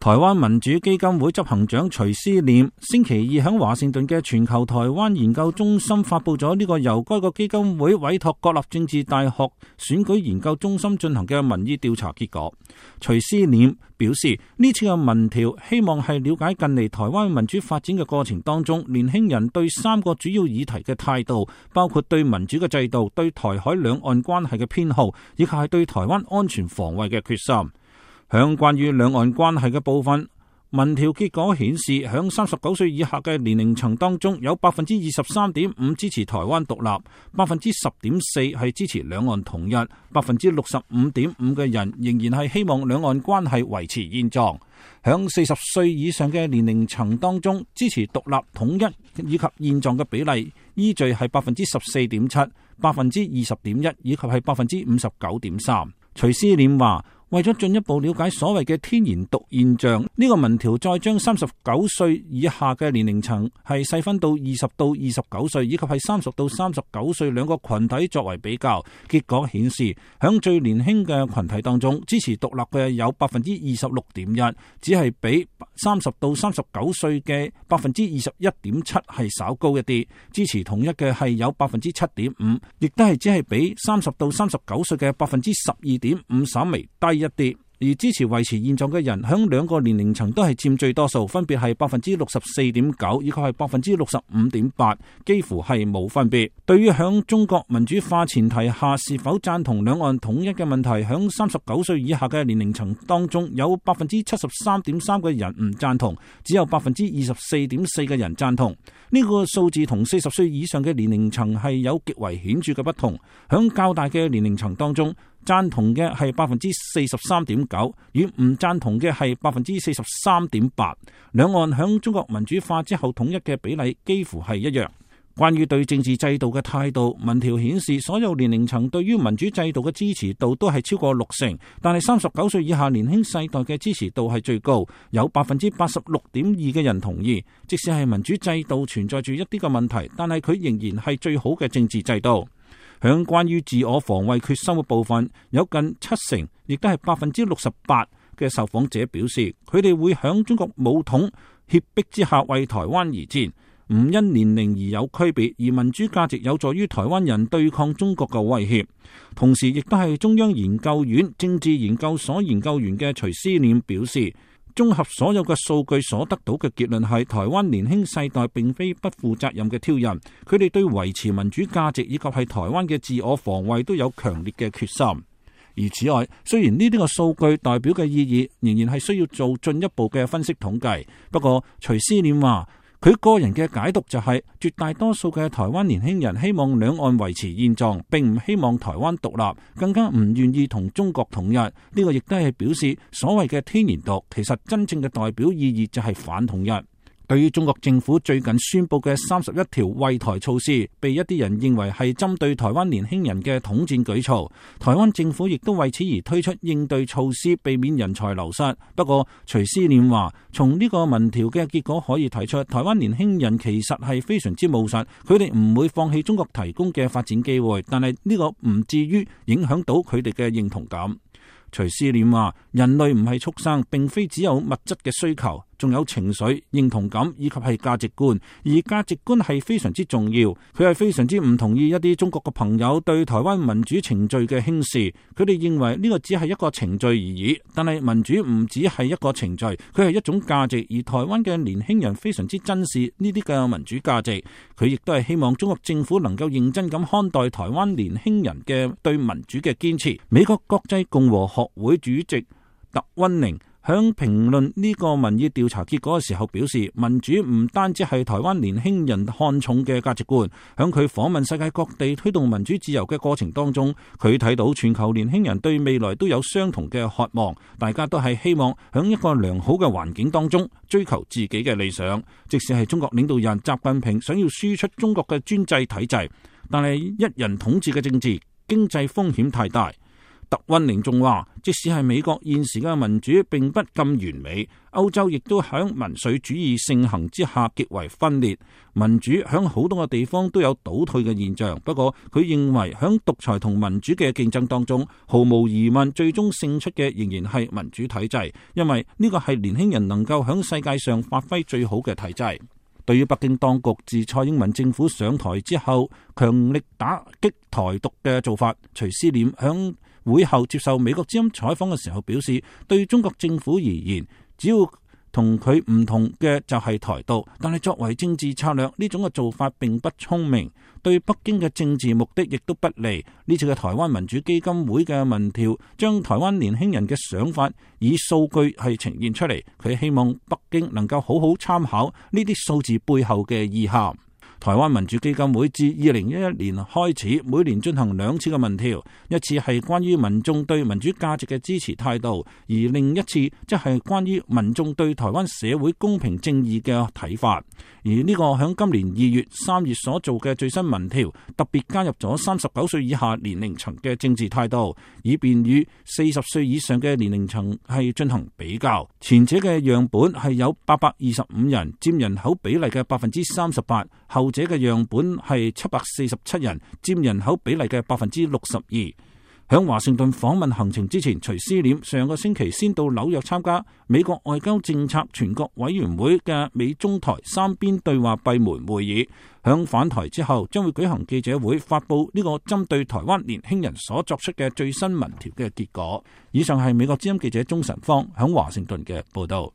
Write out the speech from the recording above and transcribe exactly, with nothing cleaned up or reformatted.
台灣民主基金會執行長徐思念星期二喺華盛頓嘅全球台灣研究中心發佈咗呢個由該個基金會委託國立政治大學選舉研究中心進行嘅民意調查結果。徐思念表示，呢次嘅民調希望係了解近嚟台灣民主發展嘅過程當中，年輕人對三個主要議題嘅態度，包括對民主嘅制度、對台海兩岸關係嘅偏好，以及係對台灣安全防衛嘅決心。響關於兩岸關係嘅部分，民調結果顯示，響三十九歲以下嘅年齡層當中，有百分之二十三點五支持台灣獨立，百分之十點四係支持兩岸統一，百分之六十五點五嘅人仍然係希望兩岸關係維持現狀。響四十歲以上嘅年齡層當中，支持獨立統一以及現狀嘅比例依序係百分之十四點七、百分之二十點一以及係百分之五十九點三。徐思念話，為咗進一步了解所謂嘅天然獨現象，呢、這個民調再將三十九歲以下嘅年齡層係細分到二十到二十九歲以及係三十到三十九歲兩個群體作為比較，結果顯示響最年輕嘅群體當中，支持獨立嘅有百分之二十六點一，只係比三十到三十九歲嘅百分之二十一點七係稍高一啲，支持統一嘅係有百分之七點五，亦都係只係比三十到三十九歲嘅百分之十二點五稍微低一啲。而支持維持現狀嘅人響兩個年齡層都係佔最多數，分別係百分之六十四點九以及係百分之六十五點八，幾乎係冇分別。對於響中國民主化前提下是否贊同兩岸統一嘅問題，響三十九歲以下嘅年齡層當中，有百分之七十三點三嘅人唔贊同，只有百分之二十四點四嘅人贊同。呢、這個數字同四十歲以上嘅年齡層係有極為顯著嘅不同。響較大嘅年齡層當中，贊同嘅係百分之四十三點九，與唔贊同嘅係百分之四十三點八。兩岸響中國民主化之後統一嘅比例幾乎係一樣。關於對政治制度嘅態度，民調顯示所有年齡層對於民主制度嘅支持度都係超過六成，但係三十九歲以下年輕世代嘅支持度係最高，有百分之八十六點二嘅人同意，即使係民主制度存在住一啲嘅問題，但係佢仍然係最好嘅政治制度。響關於自我防衛決心嘅部分，有近七成，亦都係百分之六十八嘅受訪者表示，佢哋會響中國武統脅迫之下為台灣而戰，唔因年齡而有區別，而民主價值有助於台灣人對抗中國嘅威脅。同時，亦都係中央研究院政治研究所研究員嘅徐思念表示，綜合所有嘅數據所得到嘅結論係，台灣年輕世代並非不負責任嘅挑釁，佢哋對維持民主價值以及係台灣嘅自我防衛都有強烈嘅決心。而此外，雖然呢啲個數據代表嘅意義仍然係需要做進一步嘅分析統計，不過徐思念話，佢個人嘅解讀就係、是、絕大多數嘅台灣年輕人希望兩岸維持現狀，並唔希望台灣獨立，更加唔願意同中國統一。呢、這個亦都係表示所謂嘅天然獨，其實真正嘅代表意義就係反統一。對於中國政府最近宣布嘅三十一條惠台措施，被一啲人認為係針對台灣年輕人嘅統戰舉措，台灣政府亦都為此而推出應對措施，避免人才流失。不過徐思念話，從呢個民調嘅結果可以睇出，台灣年輕人其實係非常之務實，佢哋唔會放棄中國提供嘅發展機會，但係呢個唔至於影響到佢哋嘅認同感。徐思念話，人類唔係畜生，並非只有物質嘅需求，仲有情緒、認同感以及係價值觀，而價值觀係非常之重要。佢係非常之唔同意一啲中國嘅朋友對台灣民主程序嘅輕視，佢哋認為呢個只係一個程序而已。但係民主唔只係一個程序，佢係一種價值，而台灣嘅年輕人非常之珍視呢啲嘅民主價值。佢亦都係希望中國政府能夠認真咁看待台灣年輕人嘅對民主嘅堅持。美國國際共和學會主席特溫寧響評論呢個民意調查結果嘅時候表示，民主唔單止係台灣年輕人看重嘅價值觀。響佢訪問世界各地推動民主自由嘅過程當中，佢睇到全球年輕人對未來都有相同嘅渴望，大家都係希望響一個良好嘅環境當中追求自己嘅理想。即使係中國領導人習近平想要輸出中國嘅專制體制，但係一人統治嘅政治經濟風險太大。特溫寧仲話，即使係美國現時嘅民主並不咁完美，歐洲亦都響民粹主義盛行之下極為分裂，民主響好多個地方都有倒退嘅現象。不過佢認為響獨裁同民主嘅競爭當中，毫無疑問最終勝出嘅仍然係民主體制，因為呢個係年輕人能夠響世界上發揮最好嘅體制。對於北京當局自蔡英文政府上台之後強力打擊台獨嘅做法，徐思廉響會後接受美國之音採訪嘅時候表示，對中國政府而言，只要同佢唔同嘅就係台獨，但係作為政治策略，呢種嘅做法並不聰明，對北京嘅政治目的亦都不利。呢次嘅台灣民主基金會嘅民調將台灣年輕人嘅想法以數據係呈現出嚟，佢希望北京能夠好好參考呢啲數字背後嘅意涵。台灣民主基金會自二零一一年開始，每年進行兩次嘅民調，一次係關於民眾對民主價值嘅支持態度，而另一次即係關於民眾對台灣社會公平正義嘅睇法。而呢個響今年二月、三月所做嘅最新民調，特別加入咗三十九歲以下年齡層嘅政治態度，以便與四十歲以上嘅年齡層係進行比較。前者嘅樣本係有八百二十五人，佔人口比例嘅百分之三十八；後者嘅樣本係七百四十七人，佔人口比例嘅百分之六十二。響華盛頓訪問行程之前，徐思廉上個星期先到紐約參加美國外交政策全國委員會嘅美中台三邊對話閉門會議。響返台之後，將會舉行記者會，發布呢個針對台灣年輕人所作出嘅最新民調嘅結果。以上係美國之音記者鍾晨芳響華盛頓嘅報道。